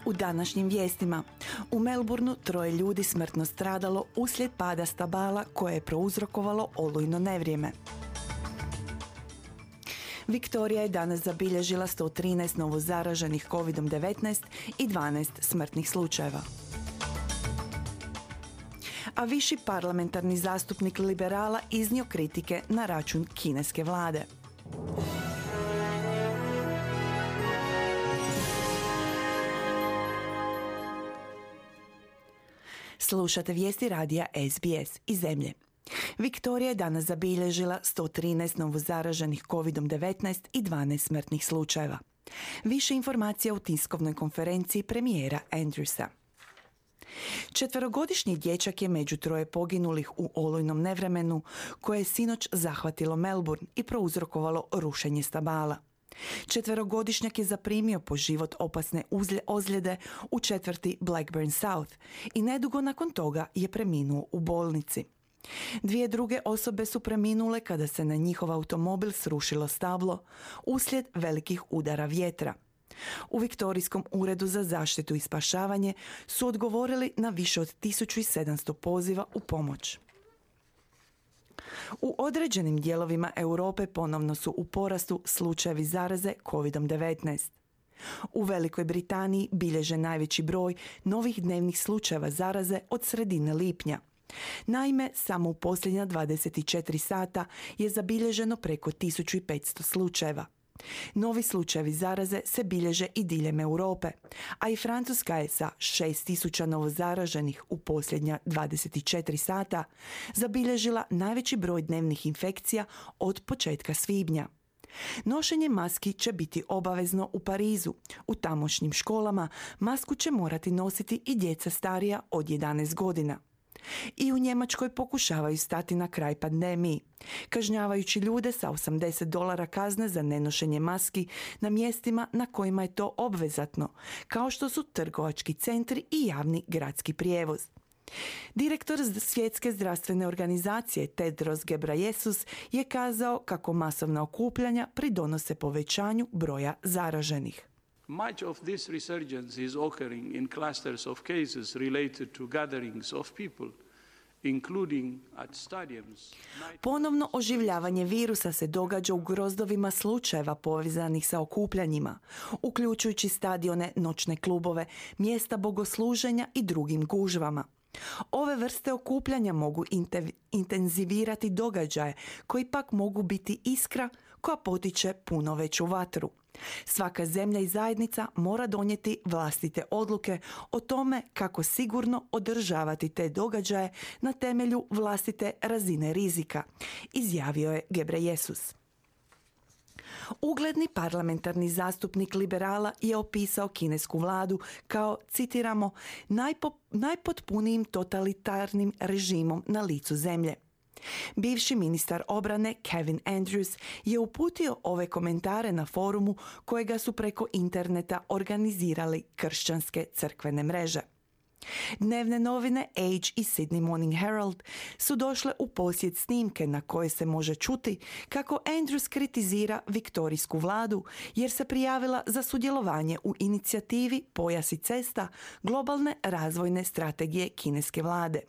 U današnjim vijestima, u Melbourneu 3 ljudi smrtno stradalo uslijed pada stabala koje je prouzrokovalo olujno nevrijeme. Viktorija je danas zabilježila 113 novozaraženih COVID-19 i 12 smrtnih slučajeva. A viši parlamentarni zastupnik liberala iznio kritike na račun kineske vlade. Slušate vijesti radija SBS iz zemlje. Viktorija je danas zabilježila 113 novozaraženih COVID-19 i 12 smrtnih slučajeva. Više informacija u tiskovnoj konferenciji premijera Andrewsa. 4-godišnji dječak je među 3 poginulih u olujnom nevremenu koje je sinoć zahvatilo Melbourne i prouzrokovalo rušenje stabala. 4-godišnjak je zaprimio po život opasne ozljede u četvrti Blackburn South i nedugo nakon toga je preminuo u bolnici. 2 druge osobe su preminule kada se na njihov automobil srušilo stablo uslijed velikih udara vjetra. U Viktorijskom uredu za zaštitu i spašavanje su odgovorili na više od 1700 poziva u pomoć. U određenim dijelovima Europe ponovno su u porastu slučajevi zaraze COVID-19. U Velikoj Britaniji bilježe najveći broj novih dnevnih slučajeva zaraze od sredine lipnja. Naime, samo u posljednja 24 sata je zabilježeno preko 1500 slučajeva. Novi slučajevi zaraze se bilježe i diljem Europe, a i Francuska je sa 6000 novozaraženih u posljednja 24 sata zabilježila najveći broj dnevnih infekcija od početka svibnja. Nošenje maski će biti obavezno u Parizu. U tamošnjim školama masku će morati nositi i djeca starija od 11 godina. I u Njemačkoj pokušavaju stati na kraj pandemiji, kažnjavajući ljude sa $80 kazne za nenošenje maski na mjestima na kojima je to obvezatno, kao što su trgovački centri i javni gradski prijevoz. Direktor Svjetske zdravstvene organizacije Tedros Ghebreyesus je kazao kako masovna okupljanja pridonose povećanju broja zaraženih. Much of this resurgence is occurring in clusters of cases related to gatherings of people, including at stadiums. Ponovno oživljavanje virusa se događa u grozdovima slučajeva povezanih sa okupljanjima, uključujući stadione, noćne klubove, mjesta bogosluženja i drugim gužvama. Ove vrste okupljanja mogu intenzivirati događaje koji pak mogu biti iskra koja potiče puno veću vatru. Svaka zemlja i zajednica mora donijeti vlastite odluke o tome kako sigurno održavati te događaje na temelju vlastite razine rizika, izjavio je Ghebreyesus. Ugledni parlamentarni zastupnik liberala je opisao kinesku vladu kao, citiramo, najpotpunijim totalitarnim režimom na licu zemlje. Bivši ministar obrane Kevin Andrews je uputio ove komentare na forumu kojega su preko interneta organizirali kršćanske crkvene mreže. Dnevne novine Age i Sydney Morning Herald su došle u posjed snimke na koje se može čuti kako Andrews kritizira viktorijsku vladu jer se prijavila za sudjelovanje u inicijativi Pojas i cesta globalne razvojne strategije kineske vlade.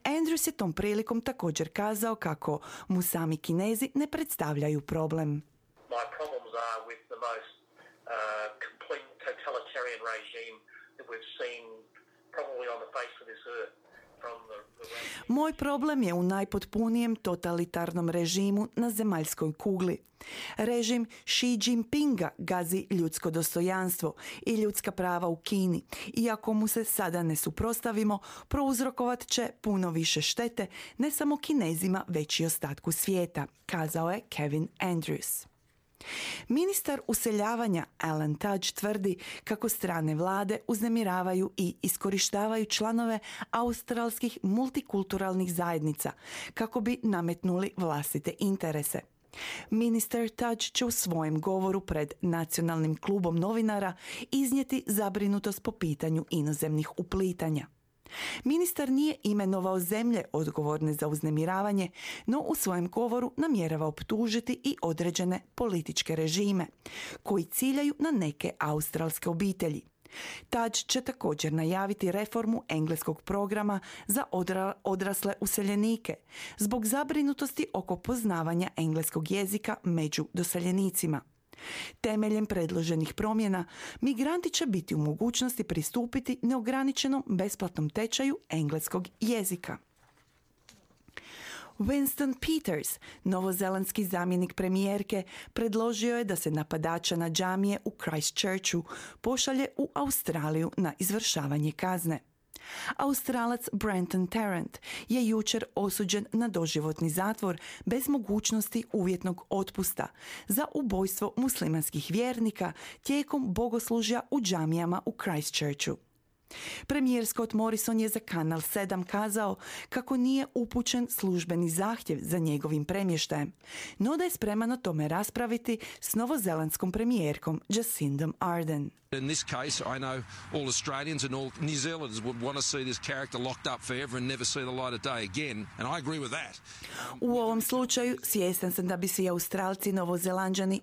Andrews je tom prilikom također kazao kako mu sami Kinezi ne predstavljaju problem. My problems are with the most complete totalitarian regime that we've seen probably on the face of this earth. Moj problem je u najpotpunijem totalitarnom režimu na zemaljskoj kugli. Režim Xi Jinpinga gazi ljudsko dostojanstvo i ljudska prava u Kini. Iako mu se sada ne suprotstavimo, prouzrokovat će puno više štete ne samo Kinezima, već i ostatku svijeta, kazao je Kevin Andrews. Ministar useljavanja Alan Tudge tvrdi kako strane vlade uznemiravaju i iskorištavaju članove australskih multikulturalnih zajednica kako bi nametnuli vlastite interese. Ministar Tudge će u svojem govoru pred Nacionalnim klubom novinara iznijeti zabrinutost po pitanju inozemnih uplitanja. Ministar nije imenovao zemlje odgovorne za uznemiravanje, no u svojem govoru namjerava optužiti i određene političke režime koji ciljaju na neke australske obitelji. Tadž će također najaviti reformu engleskog programa za odrasle useljenike zbog zabrinutosti oko poznavanja engleskog jezika među doseljenicima. Temeljem predloženih promjena, migranti će biti u mogućnosti pristupiti neograničenom besplatnom tečaju engleskog jezika. Winston Peters, novozelandski zamjenik premijerke, predložio je da se napadača na džamije u Christchurchu pošalje u Australiju na izvršavanje kazne. Australac Brenton Tarrant je jučer osuđen na doživotni zatvor bez mogućnosti uvjetnog otpusta za ubojstvo muslimanskih vjernika tijekom bogoslužja u džamijama u Christchurchu. Premijer Scott Morrison je za Kanal 7 kazao kako nije upućen službeni zahtjev za njegovim premještajem, no da je spreman o tome raspraviti s novozelandskom premijerkom Jacindom Ardern. In this case, I know all Australians and all New Zealanders would want to see this character locked up forever and never see the light of day again, and I agree with that. U ovom slučaju svjestan sam da bi svi Australci i Novozelanđani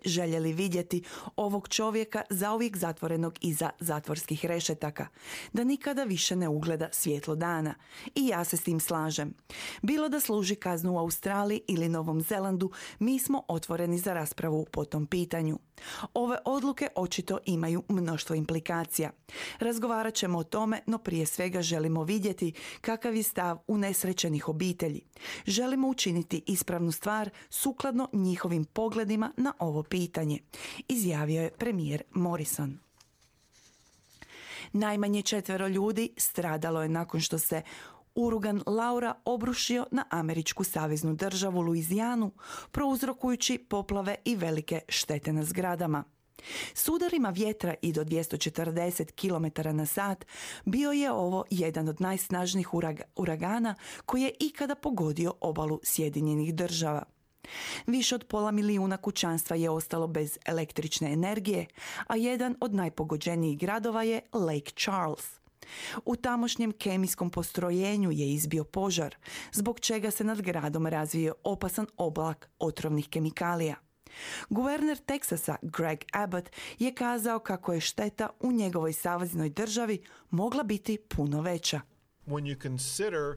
željeli vidjeti ovog čovjeka zauvijek zatvorenog iza zatvorskih rešetaka, da nikada više ne ugleda svjetlo dana. I ja se s tim slažem. Bilo da služi kaznu u Australiji ili Novom Zelandu, mi smo otvoreni za raspravu po tom pitanju. Ove odluke očito imaju mnoštvo implikacija. Razgovarat ćemo o tome, no prije svega želimo vidjeti kakav je stav unesrećenih obitelji. Želimo učiniti ispravnu stvar sukladno njihovim pogledima na ovo pitanje, izjavio je premijer Morrison. Najmanje 4 ljudi stradalo je nakon što se uragan Laura obrušio na američku saveznu državu Luizijanu, prouzrokujući poplave i velike štete na zgradama. S udarima vjetra i do 240 km na sat bio je ovo jedan od najsnažnijih uragana koji je ikada pogodio obalu Sjedinjenih Država. Više od 500 milijuna kućanstva je ostalo bez električne energije, a jedan od najpogođenijih gradova je Lake Charles. U tamošnjem kemijskom postrojenju je izbio požar, zbog čega se nad gradom razvio opasan oblak otrovnih kemikalija. Guverner Teksasa Greg Abbott je kazao kako je šteta u njegovoj saveznoj državi mogla biti puno veća. When you consider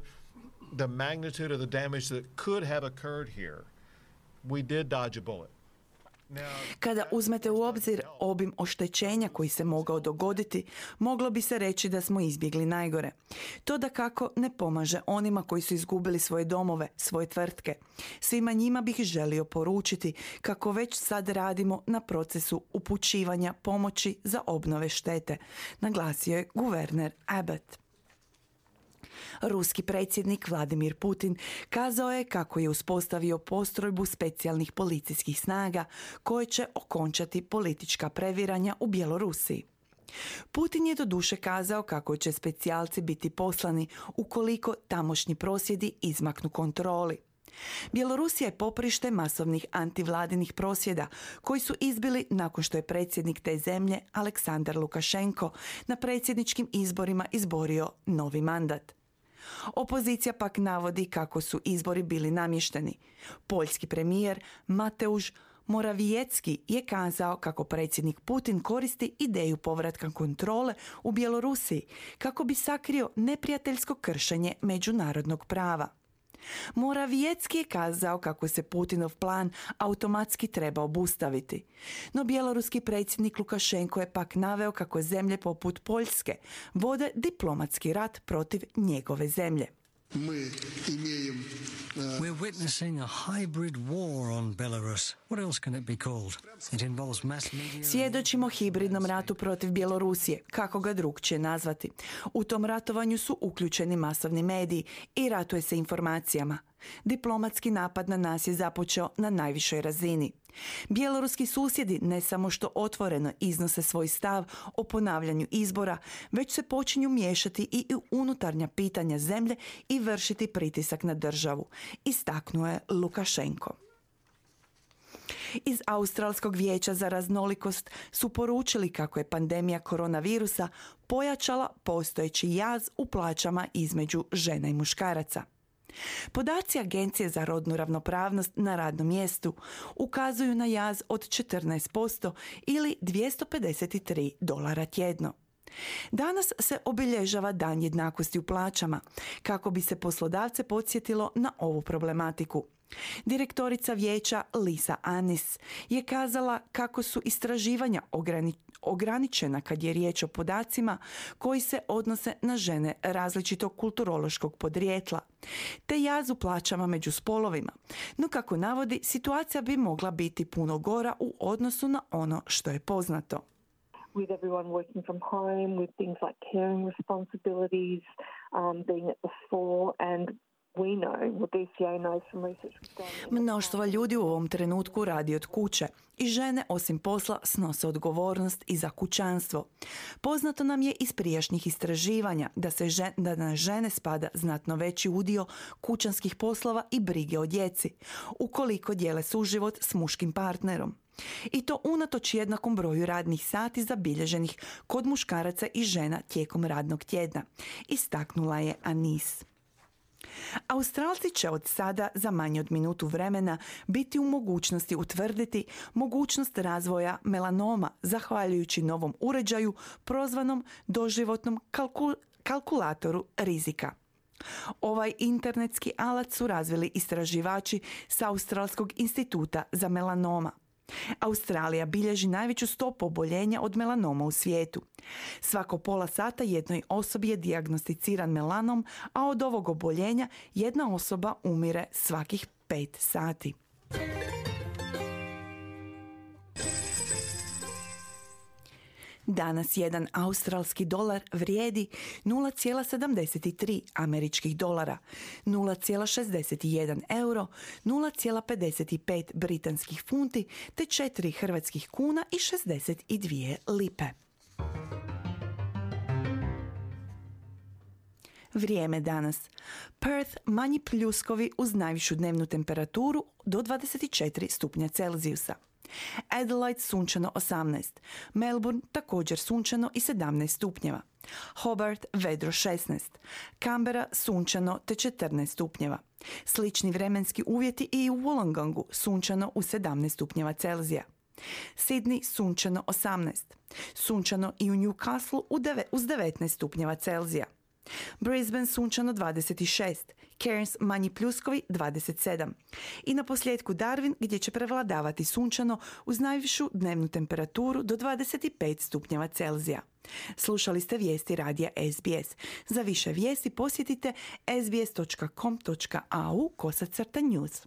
the magnitude of the damage that could have occurred here, we did dodge a bullet. Kada uzmete u obzir obim oštećenja koji se mogao dogoditi, moglo bi se reći da smo izbjegli najgore. To dakako ne pomaže onima koji su izgubili svoje domove, svoje tvrtke. Svima njima bih želio poručiti kako već sad radimo na procesu upućivanja pomoći za obnove štete, naglasio je guverner Abbott. Ruski predsjednik Vladimir Putin kazao je kako je uspostavio postrojbu specijalnih policijskih snaga koje će okončati politička previranja u Bjelorusiji. Putin je doduše kazao kako će specijalci biti poslani ukoliko tamošnji prosvjedi izmaknu kontroli. Bjelorusija je poprište masovnih antivladinih prosvjeda koji su izbili nakon što je predsjednik te zemlje Aleksandar Lukašenko na predsjedničkim izborima izborio novi mandat. Opozicija pak navodi kako su izbori bili namješteni. Poljski premijer Mateusz Morawiecki je kazao kako predsjednik Putin koristi ideju povratka kontrole u Bjelorusiji kako bi sakrio neprijateljsko kršenje međunarodnog prava. Morawiecki je kazao kako se Putinov plan automatski treba obustaviti. No bjeloruski predsjednik Lukašenko je pak naveo kako zemlje poput Poljske vode diplomatski rat protiv njegove zemlje. We're witnessing a hybrid war on Belarus. What else can it be called? It involves mass media. Svjedočimo hibridnom ratu protiv Bjelorusije, kako ga drugčije nazvati. U tom ratovanju su uključeni masovni mediji i ratuje se informacijama. Diplomatski napad na nas je započeo na najvišoj razini. Bjeloruski susjedi ne samo što otvoreno iznose svoj stav o ponavljanju izbora, već se počinju miješati i u unutarnja pitanja zemlje i vršiti pritisak na državu, istaknuo je Lukašenko. Iz Australskog vijeća za raznolikost su poručili kako je pandemija koronavirusa pojačala postojeći jaz u plaćama između žena i muškaraca. Podaci Agencije za rodnu ravnopravnost na radnom mjestu ukazuju na jaz od 14% ili $253 tjedno. Danas se obilježava Dan jednakosti u plaćama, kako bi se poslodavce podsjetilo na ovu problematiku. Direktorica vijeća Lisa Annis je kazala kako su istraživanja ograničena kad je riječ o podacima koji se odnose na žene različitog kulturološkog podrijetla, te jaz u plaćama među spolovima. No kako navodi, situacija bi mogla biti puno gora u odnosu na ono što je poznato. With everyone working from home, with things like caring responsibilities, being at the fore, and we know, what DCA knows from research we've done. Mnoštvo ljudi u ovom trenutku radi od kuće i žene osim posla snose odgovornost i za kućanstvo. Poznato nam je iz prijašnjih istraživanja da na žene spada znatno veći udio kućanskih poslova i brige o djeci, ukoliko dijele suživot s muškim partnerom. I to unatoč jednakom broju radnih sati zabilježenih kod muškaraca i žena tijekom radnog tjedna, istaknula je Annis. Australci će od sada za manje od minutu vremena biti u mogućnosti utvrditi mogućnost razvoja melanoma zahvaljujući novom uređaju prozvanom doživotnom kalkulatoru rizika. Ovaj internetski alat su razvili istraživači s Australskog instituta za melanoma. Australija bilježi najveću stopu oboljenja od melanoma u svijetu. Svako pola sata jednoj osobi je dijagnosticiran melanom, a od ovog oboljenja jedna osoba umire svakih 5 sati. Danas jedan australski dolar vrijedi 0,73 američkih dolara, 0,61 euro, 0,55 britanskih funti te 4 hrvatskih kuna i 62 lipe. Vrijeme danas. Perth manji pljuskovi uz najvišu dnevnu temperaturu do 24 stupnja Celzijusa. Adelaide sunčano 18, Melbourne također sunčano i 17 stupnjeva, Hobart vedro 16, Canberra sunčano te 14 stupnjeva. Slični vremenski uvjeti i u Wollongongu sunčano u 17 stupnjeva Celzija. Sydney sunčano 18, sunčano i u Newcastle uz 19 stupnjeva Celzija. Brisbane sunčano 26, Cairns manji pljuskovi 27 i na posljedku Darwin gdje će prevladavati sunčano uz najvišu dnevnu temperaturu do 25 stupnjeva Celzija. Slušali ste vijesti radija SBS. Za više vijesti posjetite sbs.com.au/news.